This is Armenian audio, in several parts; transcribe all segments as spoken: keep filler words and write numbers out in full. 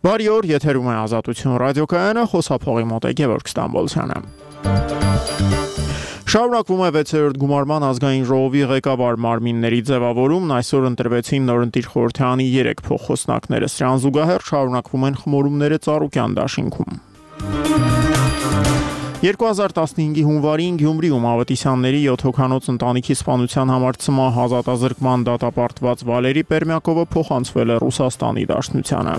Բարի օր, եթերում է Ազատություն ռադիոկայանը, խոսափողի մոտ է Գևորգ Ստամբոլցյանը։ Շարունակվում է վեցերորդ գումարման ազգային ժողովի ղեկավար մարմինների ձևավորումն, այսօր ընտրվեցին նորընտիր խորհրդարանի երեք փոխխոսնակները, սրան զուգահեռ շարունակվում են խմորումները Ծառուկյան դաշինքում։ երկու հազար տասնհինգի հունվարին Գյումրիում Ավետիսյանների յոթ հոգանոց ընտանիքի սպանության համար ցմահ ազատազրկման դատապարտված Վալերի Պերմյակովը փոխանցվել է Ռուսաստանի Դաշնությանը։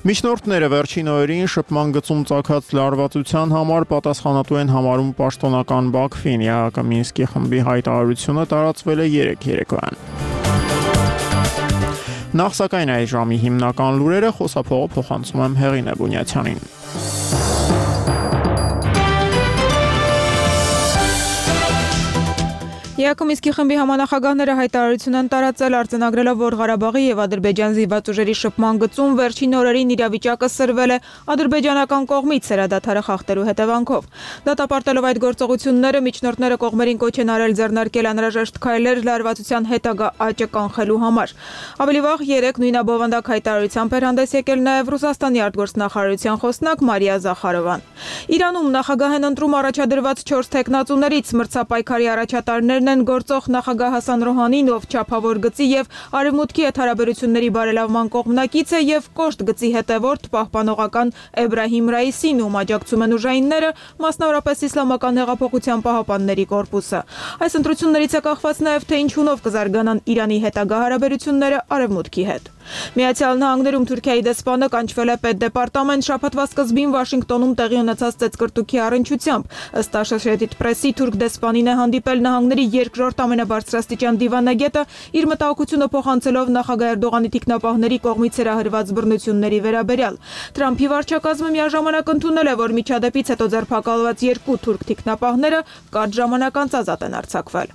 Միջնորդները վերջին օրերին շփման գծում ծագած լարվածության համար պատասխանատու են համարում պաշտոնական Բաքվին, ԵԱՀԿ Մինսկի խմբի հայտարարությունը տարածվել է երեկ երեկոյան։ Նախ սակայն այս ժամի հիմնական լուրերը, խոսափողը փոխանցում եմ Հեղինե Բունյացյանին։ ԵԱՀԿ Մինսկի խմբի համանախագահները հայտարարություն են տարածել, արձանագրելով, որ Ղարաբաղի եւ Ադրբեջան զինված ուժերի շփման գծում վերջին օրերին իրավիճակը սրվել է ադրբեջանական կողմից սերադադարը խախտելու հետևանքով։ Դատապարտելով այդ գործողությունները, միջնորդները կողմերին կոչ են արել ձեռնարկել անհրաժեշտ քայլեր լարվածության հետագա աճը կանխելու համար։ Ավելի վաղ երեկ նույնաբովանդակ հայտարարությամբ էր հանդես եկել նաեւ Ռուսաստանի արտգործնախարարության խոսնակ Մարիա Զախարովան։ Իրանում նախագահ են ընտրում առաջադրված չորս թեկնածուներից, մրցապայքարի առաջատարներն են գործող նախագահ Հասան Ռոհանին, ով չափավոր գծի եւ արևմուտքի հետ հարաբերությունների բարելավման կողմնակից է, եւ կոշտ գծի հետևորդ պահպանողական Էբրահիմ Ռայիսին, ում աջակցում են ուժայինները, մասնավորապես Իսլամական հեղափոխության պահապանների կորպուսը։ Այս ընտրություններից է կախված նաեւ թե ինչունով կզարգանան Իրանի հետագա հարաբերությունները արևմուտքի հետ։ Միացյալ Նահանգներում Թուրքիայի դեսպանը կանչվել է պետդեպարտամենտ շաբաթվա սկզբին Վաշինգտոնում տեղի ունեցած ծեծկռտուքի առնչությամբ։ Ըստ Associated Press-ի թուրք դեսպանին է հանդիպել նահանգների երկրորդ ամենաբարձրաստիճան դիվանագետը, իր մտահոգությունը փոխանցելով նախագահ Էրդողանի թիկնապահների կողմից հրահրված բռնությունների վերաբերյալ։ Թրամփի վարչակազմը միաժամանակ ընդունել է, որ միջադեպից հետո ձերբակալված երկու թուրք թիկնապահները կարճ ժամանակ անց ազատ են արձակվել։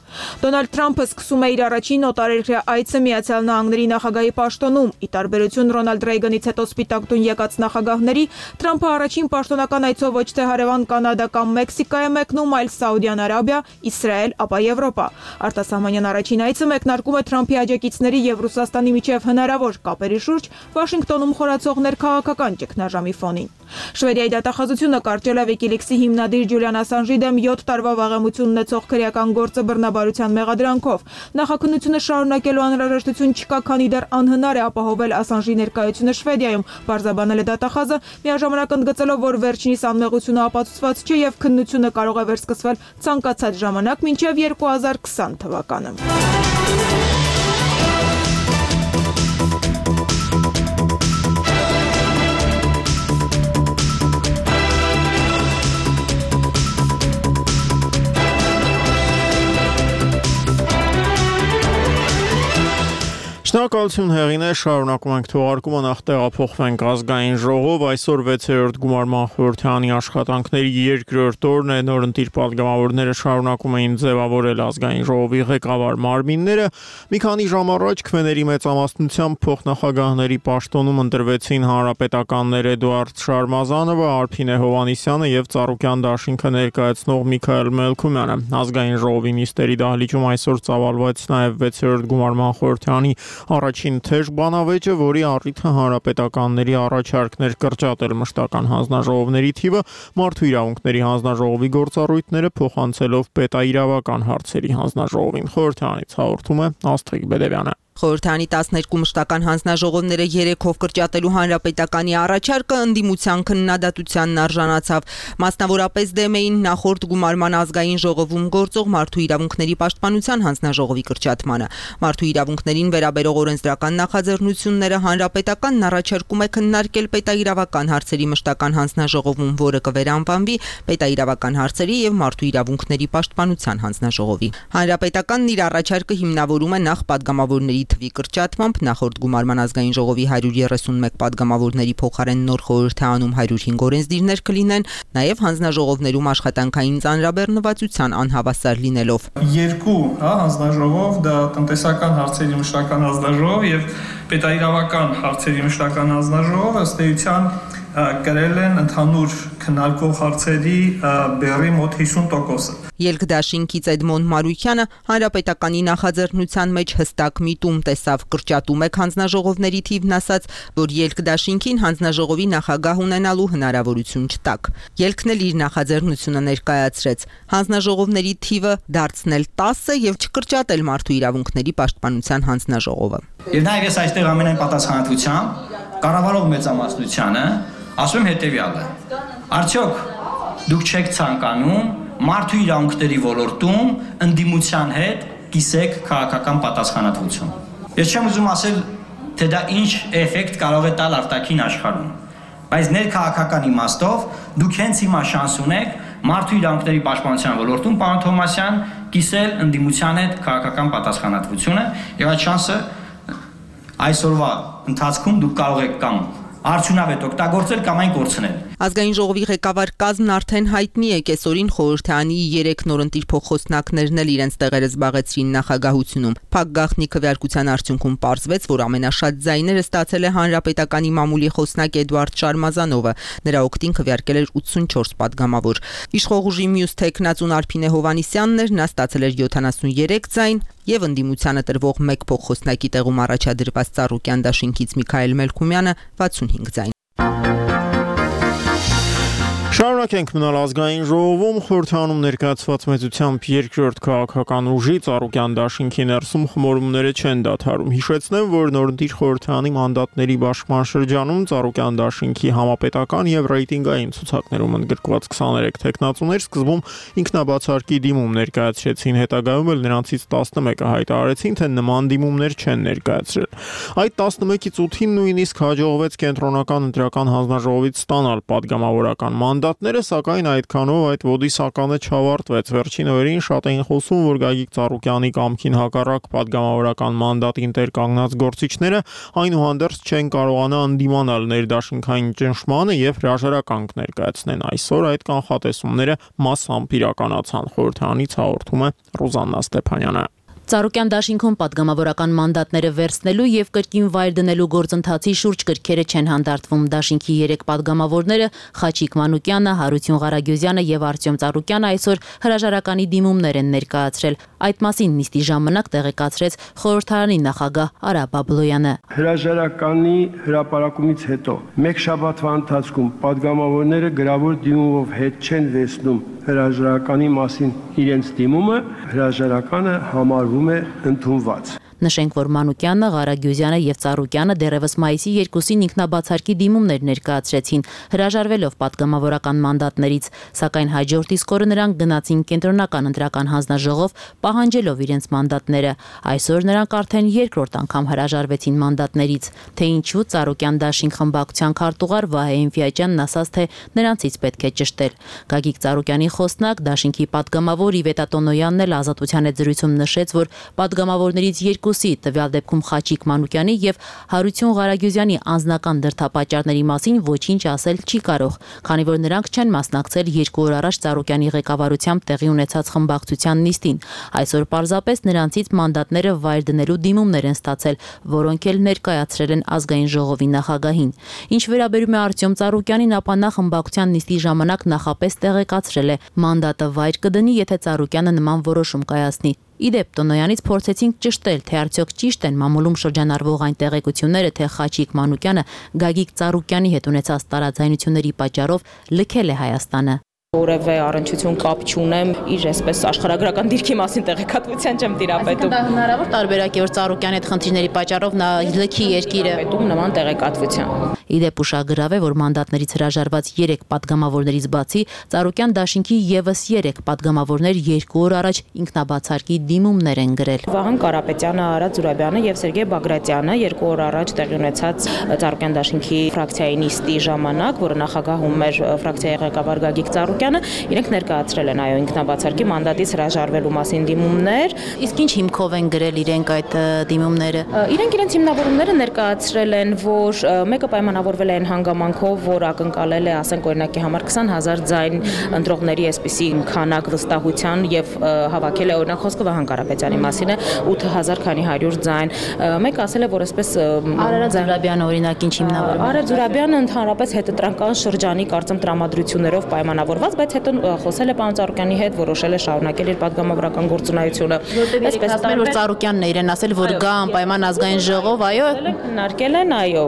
Դոնալդ Թրամփը սկսում է իր առաջին օտարերկրյա այցը Միացյալ Նահանգների նախագահի պաշտոնում։ Ի տարբերություն Ռոնալդ Ռեյգանից հետո Սպիտակ տուն եկած նախագահների, Թրամփը առաջին պաշտոնական այցով ոչ թե հարևան Կանադա կամ Մեքսիկա է մեկնում, այլ Սաուդյան Արաբիա, Իսրայել, ապա Եվրոպա։ Արտասահմանյան առաջին այցը մեկնարկում է Թրամփի աջակիցների եւ Ռուսաստանի միջև հնարավոր կապերի շուրջ Վաշինգտոնում խորացող ներքաղաքական ճգնաժամի ֆոնին։ Շվեդիայի դատախազությունը կարճել է Wikileaks-ի հիմնադիր Ջուլիան Ասանժի դեմ յոթ տարվա վաղեմություն ունեցող քրեական գործը բռնաբարության մեղադրանքով։ Նախաքննությունը շարունակելու անհրաժեշտություն չկա, քանի դեռ անհնար է ապահովել Ասանժի ներկայությունը Շվեդիայում, բարձաբանել է դատախազը, միաժամանակ ընդգծելով, որ վերջինիս անմեղությունը ապացուցված չէ եւ քննությունը կարող է վերսկսվել ցանկացած ժամանակ մինչեւ երկու հազար քսան թվականը։ Շնորհակալություն Հեղինե, շարունակում ենք թողարկումը, նախ տեղափոխվենք ազգային ժողով, այսօր վեցերորդ գումարման խորհրդարանի աշխատանքների երկրորդ օրն է, նորընտիր պատգամավորները շարունակում էին ձևավորել ազգային ժողովի ղեկավար մարմինները, մի քանի ժամ առաջ քվեների մեծամասնությամբ փոխնախագահների պաշտոնում ընտրվեցին հանրապետականներ Էդուարդ Շարմազանովը, Արփինե Հովհաննիսյանը եւ Ծառուկյան դաշինքը ներկայացնող Միքայել Մելքումյանը։ Ազգային ժողովի նիստերի դահլիճում այսօր ծավալվեց նաեւ վեցերորդ գումարման խորհրդարանի առաջին թեժ բանավեճը, որի առիթը հանրապետականների առաջարկներ կրճատել մշտական հանձնաժողովների թիվը, մարդու իրավունքների հանձնաժողովի գործառույթները փոխանցելով պետաիրավական հարցերի հանձնաժողովին։ Խորհրդարանից հաղորդում է Աստղիկ Բեդևյանը։ Խորհրդարանի տասներկու մշտական հանձնաժողովները երեքով կրճատելու հանրապետականի առաջարկը ընդդիմության քննադատությանն արժանացավ։ Մասնավորապես դեմ էին նախորդ գումարման ազգային ժողովում գործող մարդու իրավունքների պաշտպանության հանձնաժողովի կրճատմանը։ Մարդու իրավունքներին վերաբերող օրենսդրական նախաձեռնությունները հանրապետականն առաջարկում է քննարկել պետաիրավական հարցերի մշտական հանձնաժողովում, որը կվերանվանվի պետաիրավական հարցերի եւ մարդու իրավունքների պաշտպանության հանձնաժողովի։ Հանրապետականն իր առաջարկը հիմնավորում է նախ պատգամավորների թվի կրճատմամբ, նախորդ գումարման ազգային ժողովի հարյուր երեսունմեկ պատգամավորների փոխարեն նոր խորհրդարանում հարյուր հինգ օրենսդիրներ կլինեն, նաև հանձնաժողովներում աշխատանքային ծանրաբեռնվածության անհավասար լինելով։ Երկու, հա, հանձնաժողով, դա տնտեսական հարցերի մշտական հանձնաժողով եւ պետաիրավական հարցերի մշտական հանձնաժողով, ըստ էության կրել են ընդհանուր քննարկող հարցերի բեռի մոտ հիսուն տոկոսը։ Ելքդաշինքից Էդմոն Մարուկյանը հանրապետականի նախաձեռնության մեջ հստակ միտում տեսավ, կրճատում է հանձնաժողովների թիվն, ասաց, որ ելքդաշինքին հանձնաժողովի նախագահ ունենալու հնարավորություն չտակ։ Ելքն էլ իր նախաձեռնությունը ներկայացրեց հանձնաժողովների թիվը դարձնել տասը եւ չկրճատել մարդու իրավունքների պաշտպանության հանձնաժողովը։ Եվ նաեւ ես այստեղ ամենայն պատասխանատվությամբ կառավարող մեծամասնությանը ասում եմ հետեւյալը. արդյոք դուք չեք ցանկանում մարդու իրավունքների ոլորտում ընդդիմության հետ կիսեք քաղաքական պատասխանատվություն։ Ես չեմ ուզում ասել, թե դա ինչ էֆեկտ կարող է տալ արտաքին աշխարհում, բայց ներքաղաքական իմաստով դուք հենց հիմա շանս ունեք մարդու իրավունքների պաշտպանության ոլորտում, պարոն Թոմասյան, կիսել ընդդիմության հետ քաղաքական պատասխանատվությունը, եւ այդ շանսը այսօրվա ընթացքում դուք կարող եք կամ արդյունավետ օգտագործել կամ այն կորցնել։ Ազգային ժողովի ղեկավար կազմն արդեն հայտնի է, կեսօրին խորհրդարանի երեք նորընտիր փոխխոսնակներն էլ իրենց տեղերը զբաղեցրին նախագահությունում։ Փակ գաղտնի քվեարկության արդյունքում պարզվեց, որ ամենաշատ ձայները ստացել է հանրապետականի մամուլի խոսնակ Էդուարդ Շարմազանովը, նրա օգտին քվեարկել էր ութսունչորս падգամավոր։ Իշխող ուժի մյուս թեկնածուն Արփինե Հովհաննիսյանն էր, նա ստացել էր յոթանասուներեք ձայն, եւ ընդդիմությանը տրվող մեկ փոխխոսնակի տեղում առաջադրված Ծառուկյան դաշինքից Միքայել Մելքումյանը վաթսունհինգ ձայն։ Շարունակենք մնալ ազգային ժողովում խորհրդանում ներկայացված մեծությամբ երկրորդ քաղաքական ուժի Ծառուկյան դաշինքի ներսում խմորումները չեն դադարում։ Հիշեցնեմ, որ նորընտիր խորհրդանի մանդատների բաշխման շրջանում Ծառուկյան դաշինքի համապետական եւ ռեյտինգային ցուցակներում ընդգրկված քսաներեք տեխնացուներ սկզբում ինքնաբացարկի դիմում ներկայացրեցին, հետագայում էլ նրանցից տասնմեկը հայտարարեցին, թե նման դիմումներ չեն ներկայացրել։ Այդ տասնմեկից ութին նույնիսկ հաջողվեց կենտրոնական ընտրական հանձնաժողովից ստանալ падգամավորական մանդատ, սակայն այդքանով այդ ոդիսականը չավարտվեց։ Վերջին օրերին շատ էին խոսում, որ Գագիկ Ծառուկյանի կամքին հակառակ падգամավորական մանդատին տեր կանգնած գործիչները այնուհանդերձ չեն կարողանա ընդդիմանալ ներդաշինքային ճնշմանը եւ հրաժարականք ներկայացնեն։ Այսօր այդ կանխատեսումները մասամբ իրականացան, խորհրդարանից հաղորդում է Ռուզաննա Ստեփանյանը։ Ծառուկյան դաշինքում падգամավորական մանդատները վերցնելու եւ կրկին վայր դնելու գործընթացի շուրջ կրքերը չեն հանդարտվում։ Դաշինքի երեք падգամավորները Խաչիկ Մանուկյանը, Հարություն Ղարագյուզյանը եւ Արտյոմ Ծառուկյանը այսօր հրաժարականի դիմումներ են ներկայացրել։ Այդ մասին նիստի ժամանակ տեղեկացրեց խորհրդարանի նախագահ Արա Բաբլոյանը։ Հրաժարականի հրապարակումից հետո մեկ շաբաթվա ընթացքում падգամավորները գրավոր դիմումով հետ չեն վերցնում հրաժարականի մասին իրենց դիմումը, հրաժարականը համարվում է ընդունված։ Նշենք, որ Մանուկյանը, Ղարագյուզյանը եւ Ծառուկյանը դեռևս մայիսի երկուսին ինքնաբացարկի դիմումներ ներկայացրեցին, հրաժարվելով падգամավորական մանդատներից, սակայն հաջորդ իսկ օրը նրանք գնացին կենտրոնական ընտրական հանձնաժողով, պահանջելով իրենց մանդատները։ Այսօր նրանք արդեն երկրորդ անգամ հրաժարվեցին մանդատներից, թե ինչու Ծառուկյան դաշինք խմբակցության քարտուղար Վահե Ինֆիաջյանն ասաց, թե նրանցից պետք է ճշտել։ Գագիկ Ծառուկյանի խոսնակ, դաշինքի падգամավոր Իվետա Տոնոյանն էլ Ազատության հետ զրույցում նշեց, որ падգամավորներից երկուսի, տվյալ դեպքում Խաչիկ Մանուկյանի եւ Հարություն Ղարագյուզյանի անձնական դրդապատճառների մասին ոչինչ ասել չի կարող, քանի որ նրանք չեն մասնակցել երկու օր առաջ Ծառուկյանի ղեկավարությամբ տեղի ունեցած խմբակցության նիստին։ Այսօր պարզապես նրանցից մանդատները վայր դնելու դիմումներ են ստացել, որոնք էլ ներկայացրել են ազգային ժողովի նախագահին։ Ինչ վերաբերում է Արտյոմ Ծառուկյանին, ապա նա խմբակցության նիստի ժամանակ նախապես տեղեկացրել է, մանդատը վայր կդնի, եթե Ծառուկյանը նման որոշում կայացնի։ Իդեպ Տոնոյանից փորձեցինք ճշտել, թե արդյոք ճիշտ են մամուլում շրջանառվող այն տեղեկությունները, թե Խաչիկ Մանուկյանը Գագիկ Ծառուկյանի հետ ունեցած տարաձայնությունների պատճառով լքել է Հայաստանը։ Որևէ առնչություն կապ չունեմ իր այսպես աշխարհագրական դիրքի մասին տեղեկատվության չեմ տիրապետում։ Դա հնարավոր տարբերակ է, որ Ծառուկյանի հետ խնդիրների պատճառով նա լքի երկիրը պետում նման տեղեկատվության։ Իդեպ ուշագրավ է, որ մանդատներից հրաժարված երեք падգամավորներից բացի Ծառուկյան դաշինքի եւս երեք падգամավորներ երկու օր առաջ ինքնաբացարկի դիմումներ են գրել։ Վահան Կարապետյանը, Արա Զուրաբյանը եւ Սերգեյ Բագրատյանը երկու օր առաջ տեղի ունեցած Ծառուկյան դաշինքի ֆրակցիայի նիստի ժամանակ, որը նախագահում էր ֆրակցիայի ղեկավար Գագիկ Ծառուկյանը, իրենք ներկայացրել են այո ինքնաբացարկի մանդատից հրաժարվելու մասին դիմումներ։ Իսկ ինչ հիմքով են գրել իրենք այդ դիմումները։ Իրենք իրենց հիմնավորումները ներկայացրել են, որ մեկը պայմանավորված պայմանավորվել է այն հանգամանքով, որ ակնկալել է, ասենք օրինակի համար քսան հազար ձայն ընտրողների այսպիսի քանակ վստահության եւ հավաքել է օրինակ խոսքը Վահան Կարապետյանի մասին է ութ հազար քանի հարյուր ձայն։ Մեկ ասել է, որ այսպես Արարատ Զուրաբյանը օրինակ ինչ հիմնավորում է։ Արարատ Զուրաբյանը ընդհանրապես հետընտրական շրջանի կարծեմ տրամադրություններով պայմանավորված, բայց հետո խոսել է պարոն Ծառուկյանի հետ, որոշել է շարունակել իր պատգամավորական գործունեությունը։ Այսպես ասում են, որ Ծառուկյանն է իրեն ասել, որ գա անպայման ազգային ժողով, այո, քննարկել են, այո,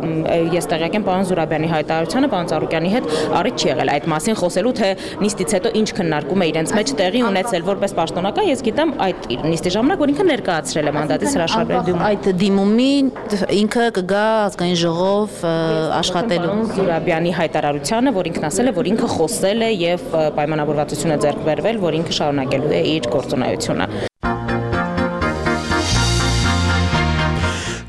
ես տեղյակ եմ պարոն Զուրաբյանի հայտարարությանը, պարոն Ծառուկյանի հետ առիթ չի եղել այդ մասին խոսելու, թե նիստից հետո ինչ քննարկում է իրենց մեջ տեղի ունեցել որպես պաշտոնական, ես գիտեմ այդ նիստի ժամանակ, որ ինքը ներկայացրել է մանդատից հրաշալի դիմում։ Այդ դիմումին ինքը կգա ազգային ժողով աշխատելու։ Զուրաբյանի հայտարարությանը, որ ինքն ասել է, որ ինքը խոսել է եւ պայմանավորվածություն է ձեռք բերվել, որ ինքը շարունակելու է իր գործունեությունը։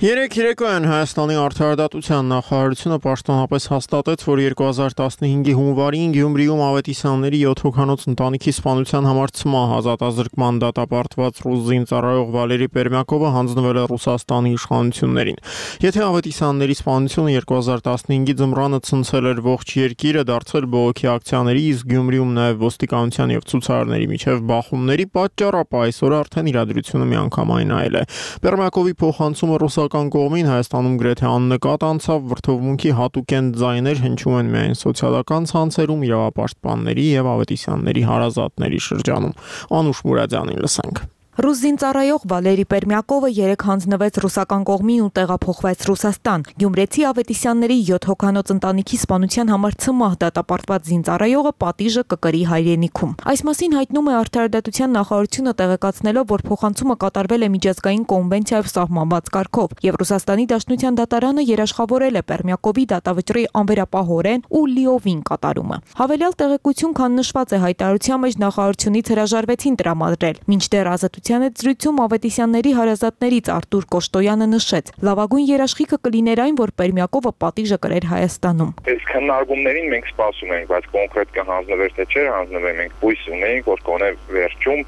Երեք երեկոյան Հայաստանի արդարադատության նախարարությունը պաշտոնապես հաստատեց, որ երկու հազար տասնհինգի հունվարին Գյումրիում Ավետիսյանների յոթ հոգանոց ընտանիքի սպանության համար ցմահ ազատազրկման դատապարտված ռուս զինծառայող Վալերի Պերմյակովը հանձնվել է Ռուսաստանի իշխանություններին։ Եթե Ավետիսյանների սպանությունը երկու հազար տասնհինգի ձմռանը ցնցել էր ողջ երկիրը, դարձել բողոքի ակցիաների, իսկ Գյումրիում նաև ոստիկանության եւ ցուցարարների միջև բախումների պատճառ, ապա այսօր արդեն իրադրությունը միանգամայն այլ է։ Պերմյակովի փոխանցումը ռուսական կողմին Հայաստանում գրեթե աննկատ անցավ, վրդովմունքի հատուկեն ձայներ հնչում են միայն սոցիալական ցանցերում, իրավապաշտպանների եւ Ավետիսյանների հարազատների շրջանում։ Անուշ Մուրադյանին լսենք։ Ռուս զինծառայող Վալերի Պերմյակովը երեկ հանձնվեց ռուսական կողմին ու տեղափոխվեց Ռուսաստան։ Գյումրեցի Ավետիսյանների յոթ հոգանոց ընտանիքի սպանության համար ցմահ դատապարտված զինծառայողը պատիժը կկրի հայրենիքում։ Այս մասին հայտնում է Արդարադատության նախարարությունը, տեղեկացնելով, որ փոխանցումը կատարվել է միջազգային կոնվենցիայով սահմանված կարգով, եւ Ռուսաստանի Դաշնության դատարանը երաշխավորել է Պերմյակովի դատավճռի անվերապահորեն ու լիովին կատարումը։ Հավելյալ տեղեկություն, քան նշված է հայտարարության մեջ, նախարարությունից հրաժարվեցին տրամադրել, մինչդեռ ազատության հետ զրույցում Ավետիսյանների հարազատներից Արտուր Կոշտոյանը նշեց. լավագույն երաշխիքը կլիներ այն, որ Պերմյակովը պատիժը կրեր Հայաստանում։ Այս քննարկումներին մենք սպասում ենք, բայց կոնկրետ կհանձնվեր թե չէ հանձնվի, մենք հույս ունենք, որ կոնե վերջում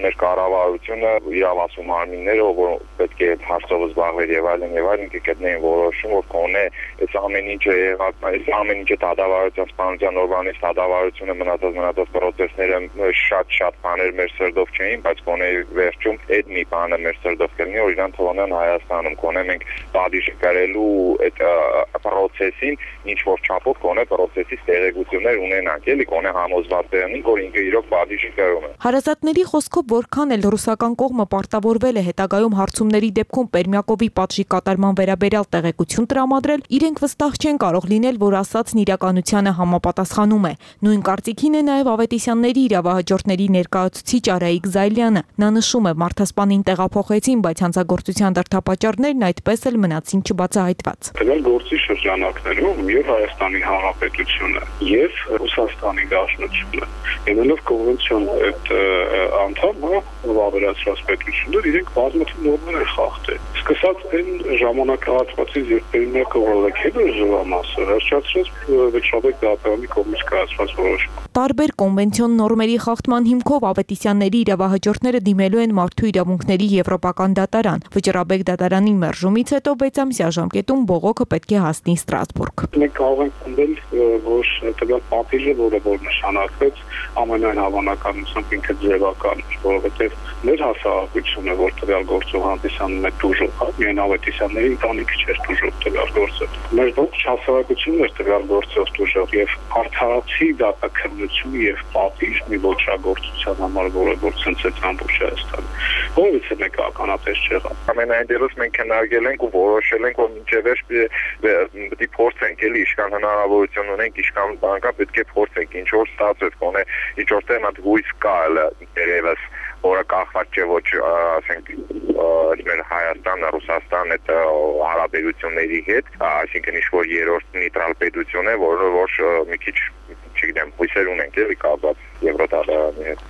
մեր կառավարությունը իրավասու մարմինները, որ պետք է հարցով զբաղվեր եւ այլն եւ այլն կգտնեին որոշում, որ կոնե այս ամեն ինչը եղած, այս ամեն ինչը դատավարության սպանության օրվանից դատավարությունը մնացած մնացած պրոցեսները շատ-շատ բաներ մեր սրտով չէին, բայց կոնե վերջում այդ մի բանը մեր սրտով կլինի, որ իրան թողնեն Հայաստանում, կոնե մենք պատիժը կրելու այդ պրոցեսին ինչ որ չափով կոնե պրոցեսից տեղեկություններ ունենանք, էլի կոնե համոզված եղնենք, որ ինքը իրոք պատիժը կրում է։ Հարազատների խոսքով, որքան էլ ռուսական կողմը պարտավորվել է հետագայում հարցումների դեպքում Պերմյակովի պատժի կատարման վերաբերյալ տեղեկություն տրամադրել, իրենք վստահ չեն կարող լինել, որ ասածն իրականությանը համապատասխանում է։ Նույն կարծիքին է նաև Ավետիսյանների իրավահաջորդների ներկայացուցիչ Արայիկ Զայլյանը։ Նա նշում է, մարդասպանին տեղափոխեցին, բայց հանցագործության դրդապատճառներն այդպես էլ մնացին չբացահայտված։ Տվյալ գործի շրջանակներում եւ Հայաստանի Հանրապետությունը եւ Ռուսաստանի Դաշնությունը ելնելով կոնվենցիոն այդ անդամը վավերացրած պետություններ իրենք բազմաթիվ նորմեր են խախտել։ Սկսած այն ժամանակահատվածից, երբ Պերմյակովը լքել էր զվամասը, հրճացրած Վեչավեկ դատարանի կողմից կայացված որոշում։ Տարբեր կոնվենցիոն նորմերի խախտման հիմքով Ավետիսյանների իրավահաջորդները դիմելու են Մարդու իրավունքների եվրոպական դատարան։ Վճռաբեկ դատարանի մերժումից հետո վեց ամսյա ժամկետում բողոքը պետք է հասնի Ստրասբուրգ։ Մենք կարող ենք ընդդել, որ տվյալ պատիժը, որը որ նշանակվեց, ամենայն հավանականությամբ ինքը ձևական էր, որովհետև մեր հասարակությունը, որ տվյալ գործով հանդիսանում է դուժող, միայն Ավետիսյանների ընտանիքը չէր դուժող տվյալ գործը։ Մեր ողջ հասարակությունն էր տվյալ գործով դուժող եւ արդարացի դատաքննություն եւ պատիժ մի ոչրագործության համար, որը որ ցնցեց ամբողջ Հայաստանը։ Որից է մեկ ականատես չեղավ։ Ամենայն դերս մենք քննարկել ենք ու որոշել ենք, որ մինչև պետք է փորձենք էլի իշքան հնարավորություն ունենք, իշքան բանկա պետք է փորձենք ինչ որ ստացվեց, կոնե ինչ որ տեղ մատ հույս կա երևս, որը կախված չէ ոչ ասենք մեր Հայաստանը, Ռուսաստանը այդ հարաբերությունների հետ, այսինքն ինչ որ երրորդ նեյտրալ պետություն է, որը որ մի քիչ չգիտեմ, հույսեր ունենք էլի կապված Եվրոդատարանի հետ։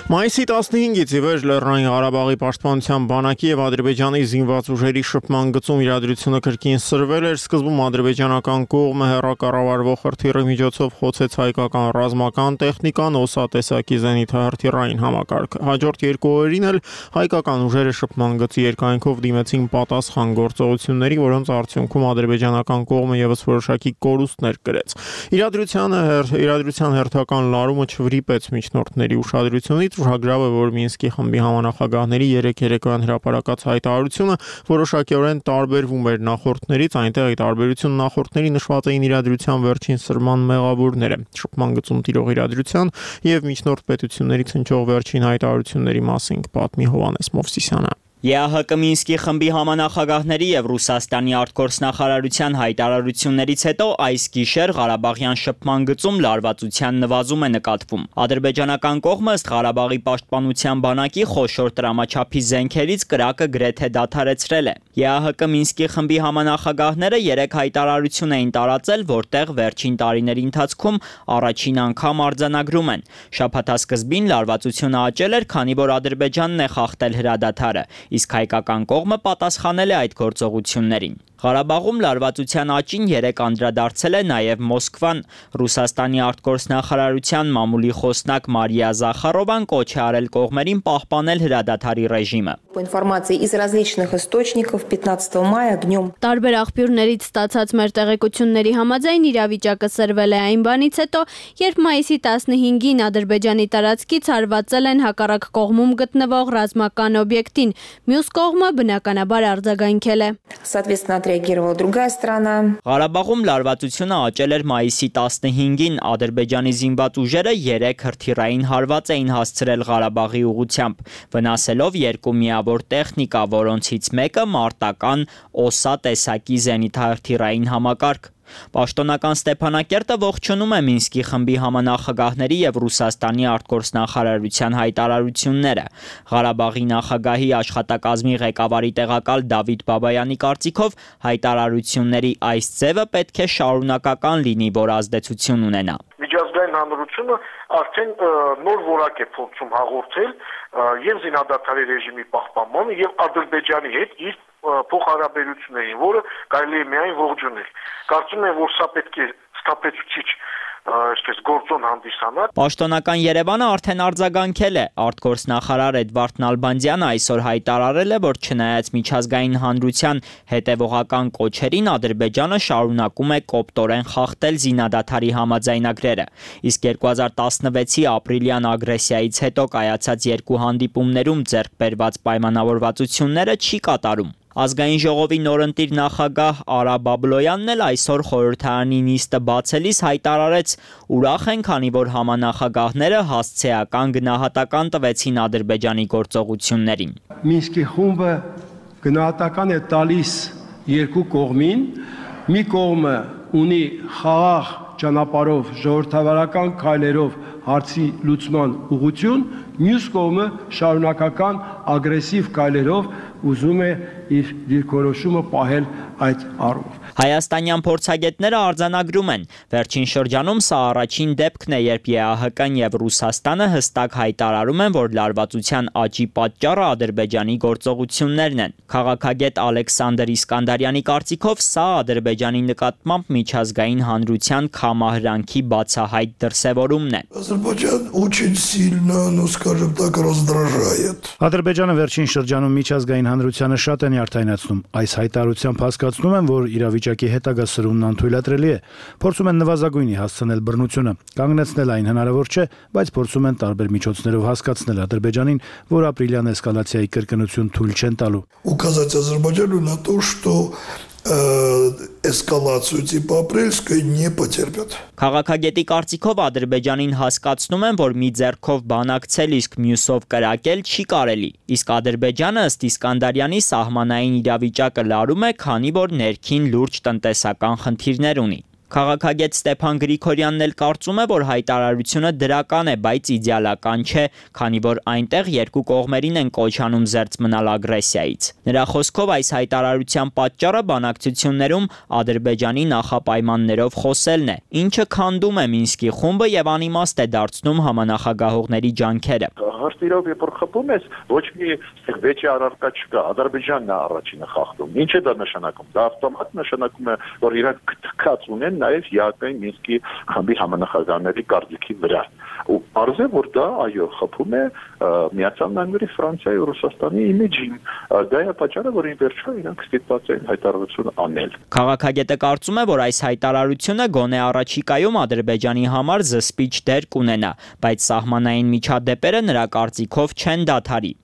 Մայիսի տասնհինգից ի վեր Լեռնային Ղարաբաղի պաշտպանության բանակի եւ Ադրբեջանի զինված ուժերի շփման գծում իրադրությունը կրկին սրվել էր։ Սկզբում ադրբեջանական կողմը հեռակառավարվող հրթիռի միջոցով խոցեց հայկական ռազմական տեխնիկան, օսատեսակի զենիթահրթիռային համակարգը։ Հաջորդ երկու օրերին էլ հայկական ուժերը շփման գծի երկայնքով դիմեցին պատասխան գործողությունների, որոնց արդյունքում ադրբեջանական կողմը եւս որոշակի կորուստներ կրեց։ Իրադրությանը իրադրության հերթական լարումը չվրիպեց միջնորդների ուշադրությունից։ Ուշագրավ է, որ Մինսկի խմբի համանախագահների երեք երեկոյան հրապարակած հայտարարությունը որոշակիորեն տարբերվում էր նախորդներից, այնտեղ այդ տարբերությունը նախորդների նշված էին իրադրության վերջին սրման մեղավորները, շփման գծում տիրող իրադրության եւ միջնորդ պետություններից հնչող վերջին հայտարարությունների մասին կպատմի Հովհաննես Մովսիսյանը։ ԵԱՀԿ Մինսկի խմբի համանախագահների եւ Ռուսաստանի արտգործնախարարության հայտարարություններից հետո այս գիշեր Ղարաբաղյան շփման գծում լարվածության նվազում է նկատվում։ Ադրբեջանական կողմը ըստ Ղարաբաղի պաշտպանության բանակի խոշոր տրամաչափի զենքերից կրակը գրեթե դադարեցրել է։ ԵԱՀԿ Մինսկի խմբի համանախագահները երեք հայտարարություն էին տարածել, որտեղ վերջին տարիների ընթացքում առաջին անգամ արձանագրում են։ Շաբաթասկզբին լարվածությունը աճել էր, քանի որ Ադրբեջանն է խախտել հրադադարը, իսկ հայկական կողմը պատասխանել է այդ գործողություններին։ Ղարաբաղում լարվածության աճին երեք անդրադարձել է նաև Մոսկվան։ Ռուսաստանի արտգործնախարարության մամուլի խոսնակ Մարիա Զախարովան կոչ է արել կողմերին պահպանել հրադադարի ռեժիմը։ Տարբեր աղբյուրներից ստացած մեր տեղեկությունների համաձայն իրավիճակը սրվել է այն բանից հետո, երբ մայիսի տասնհինգին Ադրբեջանի տարածքից հարվածել են հակառակ կողմում գտնվող ռազմական օբյեկտին, մյուս կողմը բնականաբար արձագանքել է։ Ղարաբաղում լարվածությունը աճել էր մայիսի տասնհինգին, Ադրբեջանի զինված ուժերը երեք հրթիռային հարված էին հասցրել Ղարաբաղի ուղղությամբ, վնասելով երկու միավոր տեխնիկա, որոնցից մեկը մարտական օսա տեսակի զենիթահրթիռային համակարգ։ Պաշտոնական Ստեփանակերտը ողջունում է Մինսկի խմբի համանախագահների եւ Ռուսաստանի արտգործնախարարության հայտարարությունները։ Ղարաբաղի նախագահի աշխատակազմի ղեկավարի տեղակալ Դավիթ Բաբայանի կարծիքով հայտարարությունների այս ձևը պետք է շարունակական լինի, որ ազդեցություն ունենա։ Միջազգային հանրությունը արդեն նոր որակ է փորձում հաղորդել եւ զինադադարի ռեժիմի պահպանմանը եւ Ադրբեջանի հետ իր փոխհարաբերություններին, որը կարելի է միայն ողջունել։ Կարծում եմ, որ սա պետք է ստապեցուցիչ այսպես գործոն հանդիսանա։ Պաշտոնական Երևանը արդեն արձագանքել է։ Արտգործնախարար Էդվարդ Նալբանդյանը այսօր հայտարարել է, որ չնայած միջազգային հանրության հետևողական կոչերին, Ադրբեջանը շարունակում է կոպտորեն խախտել զինադադարի համաձայնագրերը։ Իսկ երկու հազար տասնվեցի ապրիլյան ագրեսիայից հետո կայացած երկու հանդիպումներում ձեռք բերված պայմանավորվածությունները չի կատարում։ Ազգային ժողովի նորընտիր նախագահ Արա Բաբլոյանն էլ այսօր խորհրդարանի նիստը բացելիս հայտարարեց. ուրախ են, քանի որ համանախագահները հասցեական գնահատական տվեցին Ադրբեջանի գործողություններին։ Մինսկի խումբը գնահատական է տալիս երկու կողմին, մի կողմը ունի խաղաղ ճանապարհով ժողովրդավարական քայլերով հարցի լուծման ուղղություն, մյուս կողմը շարունակական ագրեսիվ քայլերով ուզում է իր դիրքորոշումը պահել այդ առումով։ Հայաստանյան փորձագետները արձանագրում են, վերջին շրջանում սա առաջին դեպքն է, երբ ԵԱՀԿ-ն եւ Ռուսաստանը հստակ հայտարարում են, որ լարվածության աճի պատճառը Ադրբեջանի գործողություններն են։ Քաղաքագետ Ալեքսանդր Իսկանդարյանի կարծիքով սա Ադրբեջանի նկատմամբ միջազգային հանրության քամահրանքի բացահայտ դրսևորումն է։ Ադրբեջան очень сильно, ну скажем так, раздражает։ Ադրբեջանը վերջին շրջանում միջազգային հանրությանը շատ են յարդայնացնում։ Այս հայտարարությամբ հասկացնում են, որ իրավիճակի հետագա սրումն անթույլատրելի է։ Փորձում են նվազագույնի հասցնել բռնությունը, կանգնեցնել այն հնարավոր չէ, բայց փորձում են տարբեր միջոցներով հասկացնել Ադրբեջանին, որ ապրիլյան էսկալացիայի կրկնություն թույլ չեն տալու։ Указать Азербайджану на то, что էսկալացիա տիպ ապրիլսկը не потерпят։ Քաղաքագետի կարծիքով Ադրբեջանին հասկացնում են, որ մի ձեռքով բանակցել, իսկ մյուսով կրակել չի կարելի։ Իսկ Ադրբեջանը ըստ Իսկանդարյանի սահմանային իրավիճակը լարում է, քանի որ ներքին լուրջ տնտեսական խնդիրներ ունի։ Քաղաքագետ Ստեփան Գրիգորյանն էլ կարծում է, որ հայտարարությունը դրական է, բայց իդեալական չէ, քանի որ այնտեղ երկու կողմերին են կոչ անում զերծ մնալ ագրեսիայից։ Նրա խոսքով այս հայտարարության պատճառը բանակցություններում Ադրբեջանի նախապայմաններով խոսելն է, ինչը քանդում է Մինսկի խումբը եւ անիմաստ է դարձնում համանախագահողների ջանքերը։ Համաստիրով երբ որ խփում ես, ոչ մի վեճի առարկա չկա, Ադրբեջանն է առաջինը խախտում։ Ինչ է դա նշանակում։ Դա ավտոմատ նշանակում է, որ իրանք թքած ունեն նաև ԵԱՏՄ-ի Մինսկի խմբի համանախագահների կարծիքի վրա։ Ու parz է, որ դա այո խփում է Միացյալ Նահանգների, Ֆրանսիայի ու Ռուսաստանի իմիջին։ Դա է պատճառը, որ ի վերջո իրանք ստիպված են հայտարարություն անել։ Քաղաքագետը կարծում է, որ այս հայտարարությունը գոնե առաջիկայում Ադրբեջանի համար զսպիչ դեր կունենա, բայց սահմանային միջադեպերը նրա կարծիքով չեն դադարի։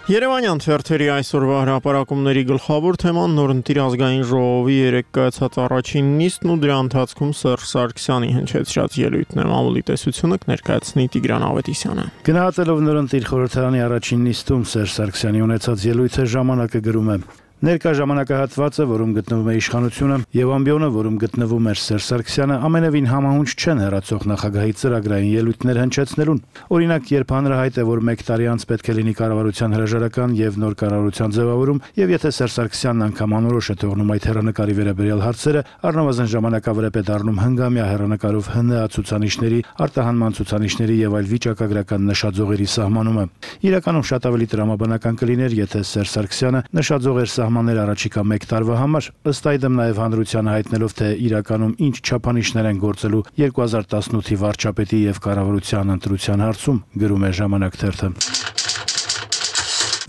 Երևանյան թերթերի այսօրվա հրապարակումների գլխավոր թեման նորընտիր ազգային ժողովի երեկ կայացած առաջին նիստն ու դրա ընթացքում Սերժ Սարգսյանի հնչեցրած ելույթն է։ Մամուլի տեսությունը կներկայացնի Տիգրան Ավետիսյանը։ Գնահատելով նորընտիր խորհրդարանի առաջին նիստում Սերժ Սարգսյանի ունեցած ելույթը ժամանակը գրում է. Ներկա ժամանակահատվածը, որում գտնվում է իշխանությունը, եւ ամբիոնը, որում գտնվում էր Սերժ Սարգսյանը, ամենևին համահունչ չեն հեռացող նախագահի ծրագրային ելույթներ հնչեցնելուն։ Օրինակ, երբ հանրահայտ է, որ մեկ տարի անց պետք է լինի կառավարության հրաժարական եւ նոր կառավարության ձևավորում, եւ եթե Սերժ Սարգսյանն անգամ անորոշ է թողնում այդ հեռանկարի վերաբերյալ հարցերը, առնվազն ժամանակավրեպ է դառնում հնգամյա հեռանկարով ՀՆԱ ցուցանիշների, արտահանման ցուցանիշների եւ այլ վիճակագրական նշաձողերի սահմանումը։ Իրականում շատ ավելի տրամաբանական կլիներ, եթե Սերժ Սարգսյանը նշաձողեր սահմաններ առաջիկա մեկ տարվա համար, ըստ այդմ նաև հանրությանը հայտնելով, թե իրականում ինչ չափանիշներ են գործելու երկու հազար տասնութի վարչապետի եւ կառավարության ընտրության հարցում, գրում է Ժամանակ թերթը։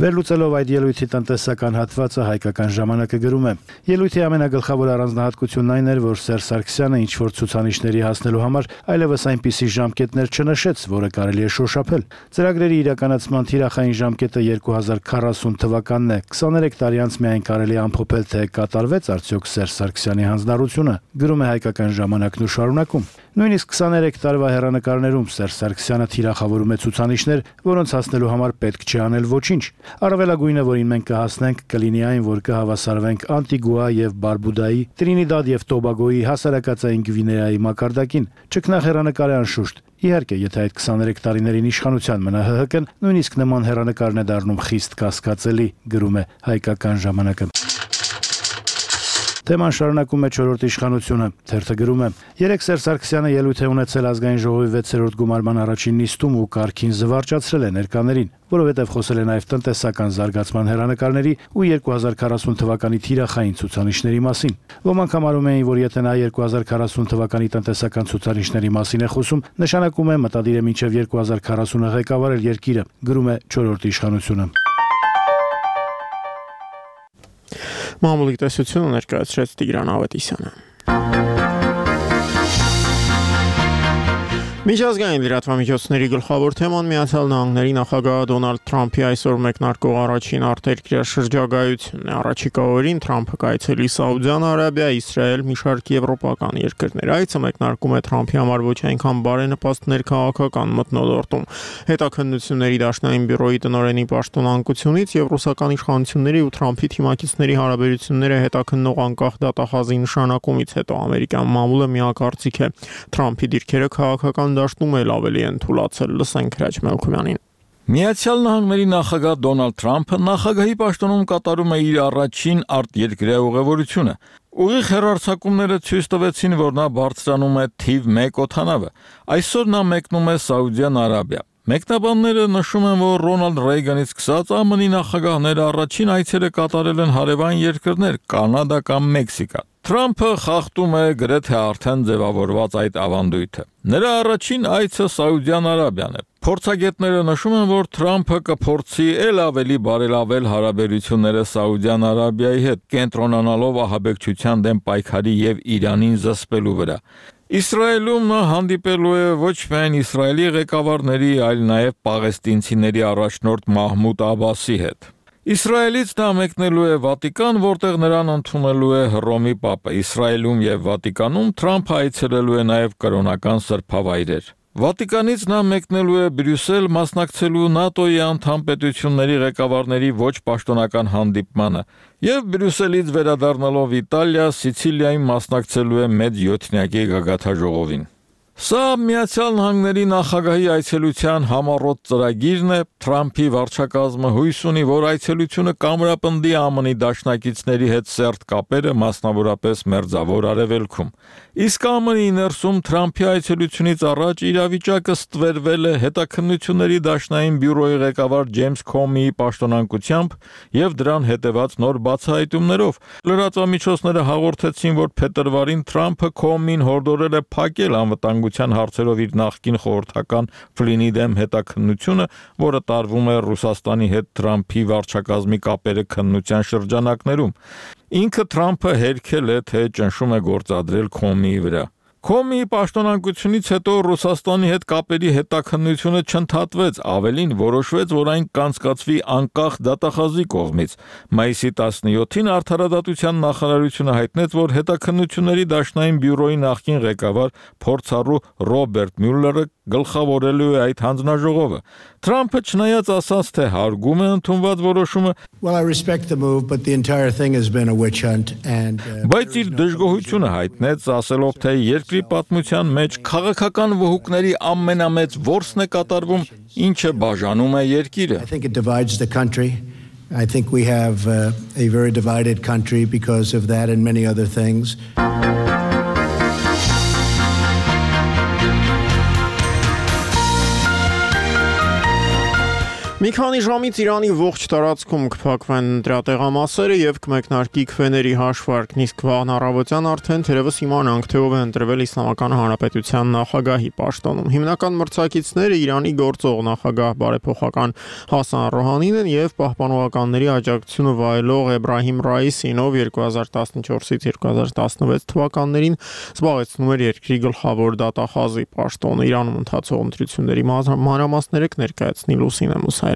Վերլուծելով այդ ելույթի տնտեսական հատվածը հայկական ժամանակը գրում է. Ելույթի ամենագլխավոր առանձնահատկությունն այն էր, որ Սերժ Սարգսյանը ինչ որ ցուցանիշների հասնելու համար այլևս այնպիսի ժամկետներ չնշեց, որը կարելի է շոշափել։ Ծրագրերի իրականացման թիրախային ժամկետը երկու հազար քառասուն թվականն է։ քսաներեք տարի անց միայն կարելի է ամփոփել, թե կատարվեց արդյոք Սերժ Սարգսյանի հանձնառությունը, գրում է հայկական ժամանակն ու շարունակում։ Նույնիսկ քսաներեք տարվա հեռանկարներում Սերժ Սարգսյանը թիրախավորում է ցուցանիշներ, որոնց հասնելու համար պետք չի անել ոչինչ։ Առավելագույնը, որին մենք կհասնենք, կլինի այն, որ կհավասարվենք Անտիգուա եւ Բարբուդայի, Տրինիդադ եւ Տոբագոյի, հասարակածային Գվինեայի մակարդակին։ Ճգնախ հեռանկար է անշուշտ։ Իհարկե, եթե այդ քսաներեք տարիներին իշխանության մնա ՀՀԿ-ն, նույնիսկ նման հեռանկարն է դառնում խիստ կասկածելի, գրում է հայկական ժամանակը։ Թեման շարունակում է չորրորդ իշխանությունը, թերթը գրում է. Երեկ Սերժ Սարգսյանը ելույթ է ունեցել ազգային ժողովի վեցերորդ գումարման առաջին նիստում ու կարգին զվարճացրել է ներկաներին, որովհետև խոսել է նաև տնտեսական զարգացման հեռանկարների ու երկու հազար քառասուն թվականի թիրախային ցուցանիշների մասին։ Ոմանք համարում էին, որ եթե նա երկու հազար քառասուն թվականի տնտեսական ցուցանիշների մասին է խոսում, նշանակում է մտադիր է մինչև երկու հազար քառասունը ղեկավարել երկիրը, գրում է չորրորդ իշխանությունը։ Մամուլի տեսությունը ներկայացրեց Տիգրան Ավետիսյանը։ Միջազգային լրատվամիջոցների գլխավոր թեման Միացյալ Նահանգների նախագահ Դոնալդ Թրամփի այսօր մեկնարկող առաջին արտերկրյա շրջագայությունն է։ Առաջիկա օրերին Թրամփը կայցելի Սաուդյան Արաբիա, Իսրայել, մի շարք եվրոպական երկրներ։ Այցը մեկնարկում է Թրամփի համար ոչ այնքան բարենպաստ ներքաղաքական մթնոլորտում։ Հետաքննությունների դաշնային բյուրոյի տնօրենի պաշտոնանկությունից եւ ռուսական իշխանությունների ու Թրամփի թիմակիցների հարաբերությունները հետաքննող անկախ դատախազի նշանակումից հետո ամերիկյան մամուլը միակարծիք է։ Թրամփի դիրքերը քաղաքական դաշտում էլ ավելի են թուլացել, լսենք Հրաչ Մելքումյանին։ Միացյալ Նահանգների նախագահ Դոնալդ Թրամփը նախագահի պաշտոնում կատարում է իր առաջին արտերկրյա ուղևորությունը։ Ուղիղ հեռարձակումները ցույց տվեցին, որ նա բարձրանում է թիվ մեկ օդանավը։ Այսօր նա մեկնում է Սաուդյան Արաբիա։ Մեկնաբանները նշում են, որ Ռոնալդ Ռեյգանից սկսած ԱՄՆ-ի նախագահները առաջին այցերը կատարել են հարևան երկրներ՝ Կանադա կամ Մեքսիկա։ Թրամփը խախտում է գրեթե արդեն ձևավորված այդ ավանդույթը։ Նրա առաջին այցը Սաուդյան Արաբիան է։ Փորձագետները նշում են, որ Թրամփը կփորձի ել ավելի բարելավել հարաբերությունները Սաուդյան Արաբիայի հետ, կենտրոնանալով ահաբեկչության դեմ պայքարի եւ Իրանին զսպելու վրա։ Իսրայելում նա հանդիպելու է ոչ միայն Իսրայելի ղեկավարների, այլ նաև պաղեստինցիների առաջնորդ Մահմուդ Աբասի հետ։ Իսրայելից նա մեկնելու է Վատիկան, որտեղ նրան ընդունելու է Հռոմի Պապը։ Իսրայելում եւ Վատիկանում Թրամփը այցելելու է նաև կրոնական սրբավայրեր։ Վատիկանից նա մեկնելու է Բրյուսել, մասնակցելու ՆԱՏՕ-ի անդամ պետությունների ղեկավարների ոչ պաշտոնական հանդիպմանը եւ Բրյուսելից վերադառնալով Իտալիա, Սիցիլիայում մասնակցելու է մեծ յոթնյակի գագաթաժողովին։ Սա Միացյալ Նահանգների նախագահի այցելության համառոտ ծրագիրն է։ Թրամփի վարչակազմը հույս ունի, որ այցելությունը կամրապնդի ԱՄՆ-ի դաշնակիցների հետ սերտ կապերը, մասնավորապես Մերձավոր Արևելքում։ Իսկ ԱՄՆ-ի ներսում Թրամփի այցելությունից առաջ իրավիճակը ստվերվել է հետաքննությունների դաշնային բյուրոյի ղեկավար Ջեյմս Քոմիի պաշտոնակությամբ եւ դրան հետեւած նոր բացահայտումներով։ Լրատվամիջոցները հաղորդեցին, որ փետրվարին Թրամփը Քոմին հորդորել է փակել անվտանգության հարցերով իր նախկին խորհրդական Ֆլինի դեմ հետաքննությունը, որը տարվում է Ռուսաստանի հետ Թրամփի վարչակազմի կապերը քննության շրջանակներում։ Ինքը Թրամփը հերքել է, թե ճնշում է գործադրել Քոմիի վրա։ Քոմիի պաշտոնակությունից հետո Ռուսաստանի հետ կապերի հետաքննությունը չընդհատվեց, ավելին որոշվեց, որ այն կանցկացվի անկախ դատախազի կողմից։ Մայիսի տասնյոթին Արդարադատության նախարարությունը հայտնեց, որ հետաքննությունների դաշնային բյուրոյի նախկին ղեկավար փորձառու Ռոբերտ Մյուլլերը գլխավորելու է այդ հանձնաժողովը։ Թրամփը չնայած ասաց, թե հարգում է ընդունված որոշումը, Well, I respect the move, but the entire thing has been a witch hunt and բայց իր դժգոհությունը հայտնեց, ասելով, թե երկրի պատմության մեջ քաղաքական վհուկների ամենամեծ որսն է կատարվում, ինչը բաժանում է երկիրը։ I think it divides the country. I think we have uh, a very divided country because of that and many other things. Մի քանի ժամից Իրանի ողջ տարածքում կփակվեն ընտրատեղամասերը եւ կմեկնարկի քվեների հաշվարկն, իսկ վաղն առավոտյան արդեն թերևս իմանանք, թե ով է ընտրվել Իսլամական Հանրապետության նախագահի պաշտոնում։ Հիմնական մրցակիցները Իրանի գործող նախագահ բարեփոխական Հասան Ռոհանին են եւ պահպանողականների աջակցությունը վայելող Էբրահիմ Ռայիսին, ով երկու հազար տասնչորսից երկու հազար տասնվեց թվականներին զբաղեցնում էր երկրի գլխավոր դատախազի պաշտոնը։ Իրանում ընթացող ընտրությունների մանրամասները կներկայացնի Լուսինե Մուսայրանը։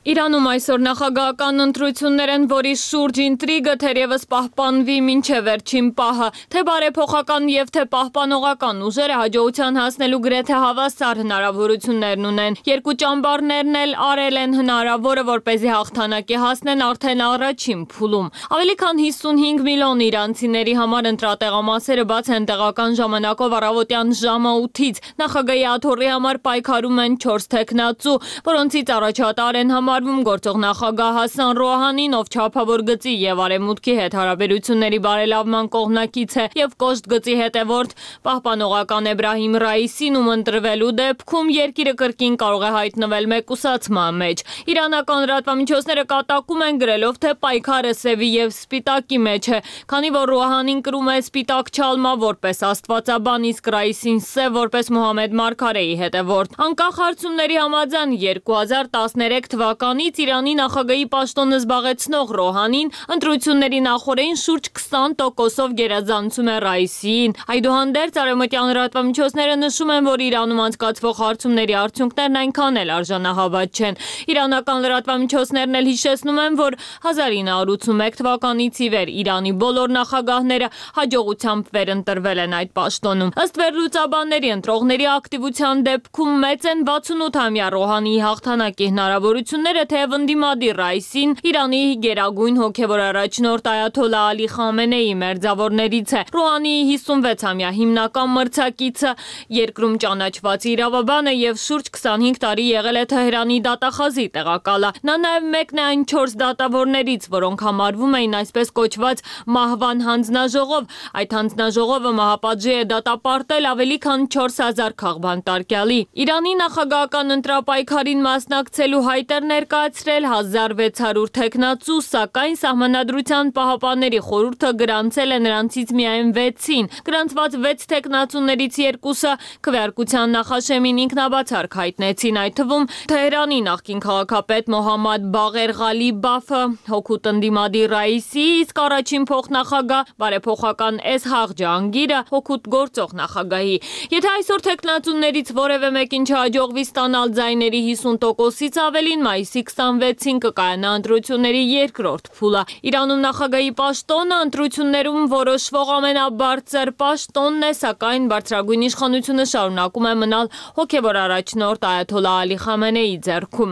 Իրանում այսօր նախագահական ընտրություններ են, որի շուրջ ինտրիգը թերևս պահպանվի մինչև վերջին պահը, թե բարեփոխական եւ թե պահպանողական ուժերը հաջողության հասնելու գրեթե հավասար հնարավորություններն ունեն։ Երկու ճամբարներն էլ արել են հնարավորը, որպեսզի հաղթանակի հասնեն արդեն առաջին փուլում։ Ավելի քան հիսունհինգ միլիոն իրանցիների համար ընտրատեղամասերը բաց են տեղական ժամանակով առավոտյան ժամը ութից։ Նախագահի աթոռի համար պայքարում են չորս տեխնացու, որոնցից առաջատար են համար գործող նախագահ Հասան Ռոհանին, ով չափավոր գծի եւ արևմուտքի հետ հարաբերությունների բարելավման կողմնակից է, եւ կոշտ գծի հետևորդ պահպանողական Էբրահիմ Ռայիսին, ում ընտրվելու դեպքում երկիրը կրկին կարող է հայտնվել մեկուսացման մեջ։ Իրանական լրատվամիջոցները կատակում են գրելով, թե պայքարը սևի եւ սպիտակի մեջ է, քանի որ Ռոհանին կրում է սպիտակ չալմա որպես աստվածաբան, իսկ Ռայիսին սև որպես Մուհամեդ Մարգարեի հետևորդ։ Անկախ հարցումների համաձայն երկու հազար տասներեք թվականին Իրանի նախագահի պաշտոնը զբաղեցնող Ռոհանին ընտրությունների նախօրեին շուրջ քսան տոկոսով գերազանցում է Ռայիսիին։ Այդուհանդերձ արևմտյան լրատվամիջոցները նշում են, որ Իրանում անցկացվող հարցումների արդյունքներն այնքան էլ արժանահավատ չեն։ Իրանական լրատվամիջոցներն էլ հիշեցնում են, որ հազար ինը հարյուր ութսունմեկ թվականից ի վեր Իրանի բոլոր նախագահները հաջողությամբ վերընտրվել են այդ պաշտոնում։ Ըստ վերլուծաբանների, ընտրողների ակտիվության դեպքում մեծ են վաթսունութամյա Ռոհանիի հաղթանակի հնարավորությունները, թեև ընդդիմադիր Ռայիսին Իրանի գերագույն հոգևոր առաջնորդ Այաթոլլա Ալի Խամենեի մերձավորներից է։ Ռոհանիի հիսունվեցամյա հիմնական մրցակիցը երկրում ճանաչված իրավաբան է եւ շուրջ քսանհինգ տարի եղել է Թեհրանի դատախազի տեղակալը։ Նա նաեւ մեկն է այն չորս դատավորներից, որոնք համարվում էին այսպես կոչված մահվան հանձնաժողով։ Այդ հանձնաժողովը մահապատժի է դատապարտել ավելի քան չորս հազար քաղբանտարկյալի։ Իրանի նախագահական ընտրապայքարին մասնակցելու հայտեր ներկայացրել հազար վեց հարյուր տեխնացու, սակայն Սահմանադրության պահապանների խորհուրդը գրանցել է նրանցից միայն վեցին։ Գրանցված վեց տեխնացուներից երկուսը քվեարկության նախաշեմին ինքնաբացարկ հայտնեցին, այդ թվում Թեհրանի նախկին քաղաքապետ Մոհամմադ Բաղեր Ղալիբաֆը, հօգուտ ընդդիմադիր Ռայիսի, իսկ առաջին փոխնախագահ բարեփոխական Էսհաղ Ջահանգիրը հօգուտ գործող նախագահի։ Եթե այսօր տեխնացուներից որևէ մեկին չհաջողվի ստանալ ձայների հիսուն տոկոսից ավելին, մայիսի քսանվեցին կկայանա ընտրությունների երկրորդ փուլը։ Իրանում նախագահի պաշտոնը ընտրություններում որոշվող ամենաբարձր պաշտոնն է, սակայն բարձրագույն իշխանությունը շարունակում է մնալ հոգևոր առաջնորդ Այաթոլլա Ալի Խամենեի ձեռքում։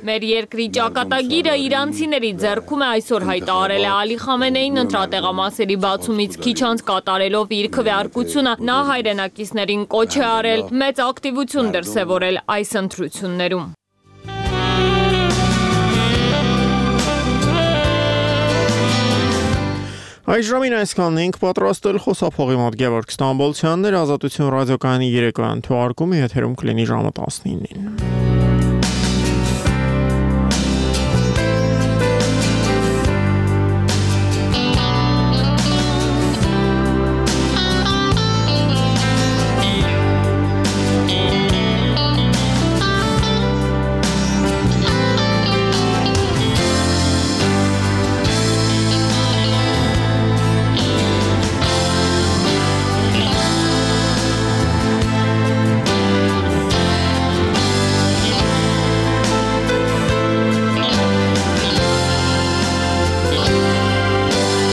Մեր երկրի ճակատագիրը իրանցիների ձեռքում է այսօր հայտարարել է Ալի Խամենեին ընտրատեղամասերի բացումից քիչ անց կատարելով իր քվեարկությունը, նա հայրենակիցներին կոչ է արել մեծ ակտիվություն դրսևորել այս ընտրություններում։ Այս ժամին այսքանն ենք պատրաստել խոսափողի մոտ Գևորգ Ստամբոլցյանն էր, Ազատություն ռադիոկայանի երեկոյան թողարկումը եթերում կլինի ժամը տասնինին։